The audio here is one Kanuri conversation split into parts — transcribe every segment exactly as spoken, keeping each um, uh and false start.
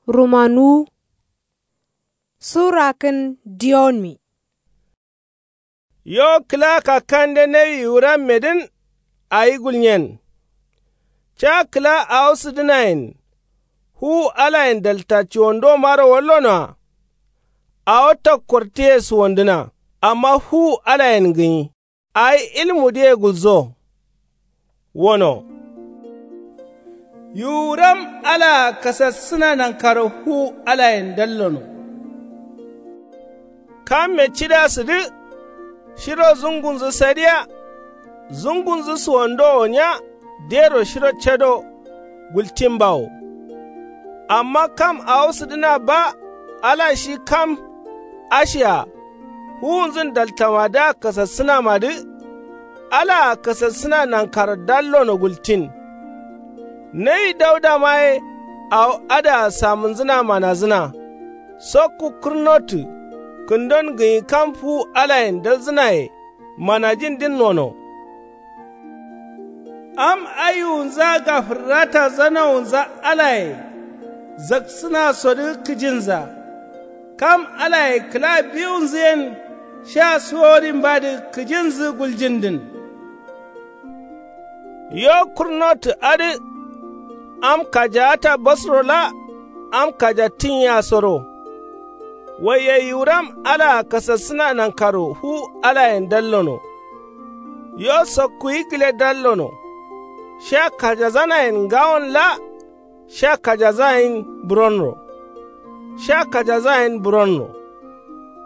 Rumanuwu. Sura kǝn diyonmi. Yo kǝla kakkande nawi yiwurammedǝn. Awi gulnyen. Ca kǝla awo sǝdǝnayen. Fuwu alayen dalta cuwandoma ro wallonoa. Awo takkortǝye suwandǝna. Amma fuwu alayen gǝnyi. Awi ilmudǝye gulzo. Wono. Yiwuram alaa kasassǝna nankaro fuwu alayen dallono. Kamme cida sǝdǝ. Shiro zungunzǝ sadiya. Zungunzǝ suwandowo nya. Dero shiro cado. Gultin bawo. Amma kam awo sǝdǝna ba. Ala shi kam. Ashia. Fuwunzǝn daltamadǝa kasassǝnamadǝ. Alaa kasassǝna nankaro dallono gultin. Nawi daudama ye. Awo adǝa samǝnzǝna manazǝna. Sokku kǝrnotǝ. Kǝndon gǝnyi kam fuwu alayen dalzǝnaye. Manajindin nono. Am ayiwunza gafǝrrata zanawunza alaye. Zaksǝnasodǝ kǝjinza. Kam alaye kǝla biwunzǝyen. Sha suworinbadǝ kǝjinzǝ guljindǝn. Yo kurnotǝ adǝ. Am kajaata basro la. Am kajattin yea soro. Waiye yiwuram alaa kasassǝna nankaro fuwu alayen dallono. Yo sokkuyi gǝle dallono. Sha kajazanayen ngawon la. Sha kajazayin buronro. Sha kajazayin buronro.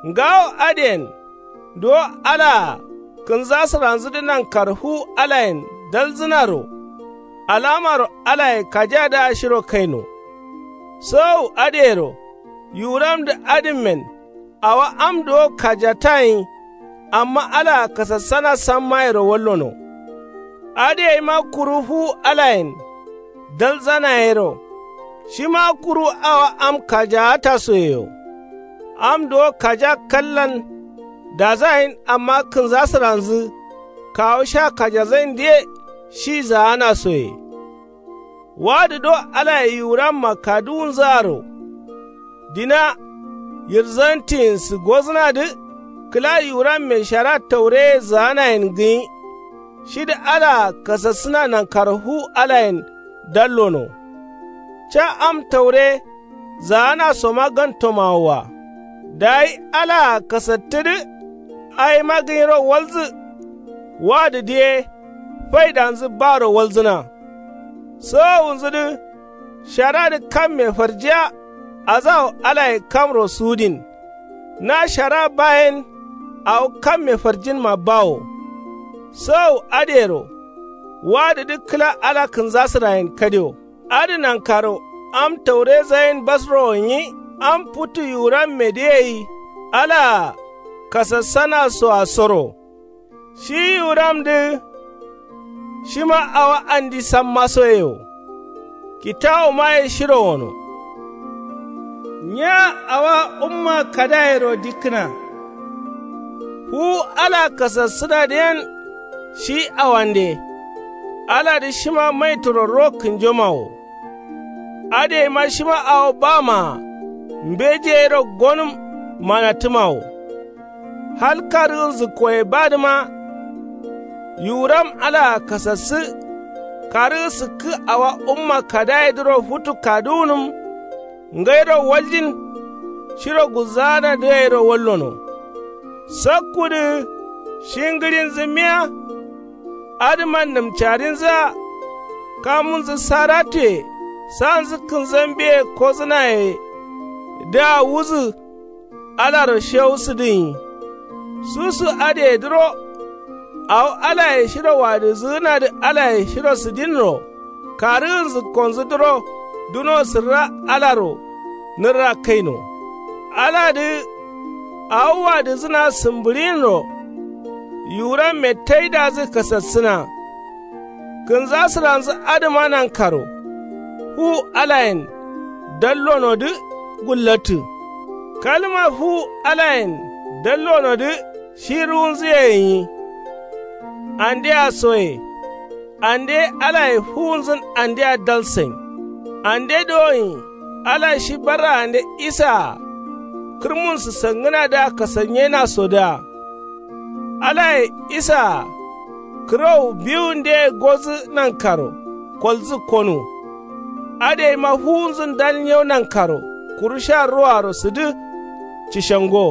Ngawo adǝyen. Duwo alaa kǝnzasǝranzǝdǝ nankaro fuwu alayen dalzǝnaro. Alamaro alaye kajadǝa shiro kaino. Sowowu adǝyero. Yiwuramdǝ adǝmmen. Awo am duwo kajatayin. Amma alaa kasassana sammayero wallono. Adǝyeima kuru fuwu alayen. Dalzanayero. Shima kuru awo am kajaatasoyeyo. Am duwo kaja kallan. Dazayin amma kǝnzasǝranzǝ. Kawu sha kajazayindǝye. Shi zaanasoye. Wadǝ do alaye yiwuramma kaduwunzǝaro. Dina. Yirzantiyin sǝggozǝnadǝ. Kǝla yiwuramme shara taureye zaanayen gǝnyi. Shidǝ alaa kasassǝna nankaro fuwu alayen. Dallono. Ca am taure. Zaanasoma gantomawoa. Dayi alaa kasattǝdǝ. Awima gǝnyiro walzǝ. Wadǝdǝ ye. Faidanzǝ baro walzǝna. Sowowunzudǝ. Sharadǝ kamme farjiya. Azawo alaye kamro sudin. Na shara bayen. Awo kamme farjinma bawo. Sowowu adǝyero. Wadǝdǝ kǝla ala kǝnzasǝrayen kadio. Adǝ nankaro. Am taurezayin basrowo nyi. Am futu yiwurammedǝ yei. Alaa kasassanasoa soro. Shi yiwuramdǝ. Shima awo andi sammasoye wo. Kitawumaye shiro wono. Nya awa umma kadayero dikkǝna. Fuwu ala kasassǝnadǝyen. Shi awande. Aladǝ shima maituro ro kǝnjoma wo. Adǝyeima shima awo bamaa. Mbejeyero gonǝm. Manattǝma wo. Hal karǝgǝnzǝkkoye badǝma. Yiwuram alaa kasassǝ. Karǝgǝ sǝkkǝ awa umma kadayedǝro futu kaduwunǝm. Ngairo waljin. Shiro gulzaanadǝ gairo wallono. Sakkudǝ. Shi ngǝɍinzǝ miya. Adǝman nǝmcarinzǝa. Kamunzǝ saratuye. Sanzǝ kǝnzambiye kozǝnaye. Dǝa wuzǝ. Alaro shewusǝdǝnyi. Susu adǝyedǝro. Awo alaye shiro wadǝzǝgǝnadǝ alaye shiro sǝdinro. Karǝgǝnzǝkkonzudǝro. Duno sǝrra alaro. Nǝrra kaino. Aladǝ. Awo wadǝzǝna sǝmbǝɍinro. Yiwuramme taidazǝ kasassǝna. Kǝnzasǝranzǝ adǝma nankaro. Fuwu alayen. Dallonodǝ. Gullattǝ. Kalma fuwu alayen. Dallonodǝ. Shi ruwunzǝye gǝnyi. Andea soye. Ande ye alaye fuwunzǝn andea dalsain. Ande dowoin. Ala shi barraande isaa-a kǝrmunsǝ sangǝnadǝa kasanyenasodaa. Alaye isaa-a kǝrowu biwundeye godǝ nankaro koldǝ konu. Adǝyeima fuwunzǝ ndal nyew nankaro kuru sha ruaro sǝdǝ. Cishango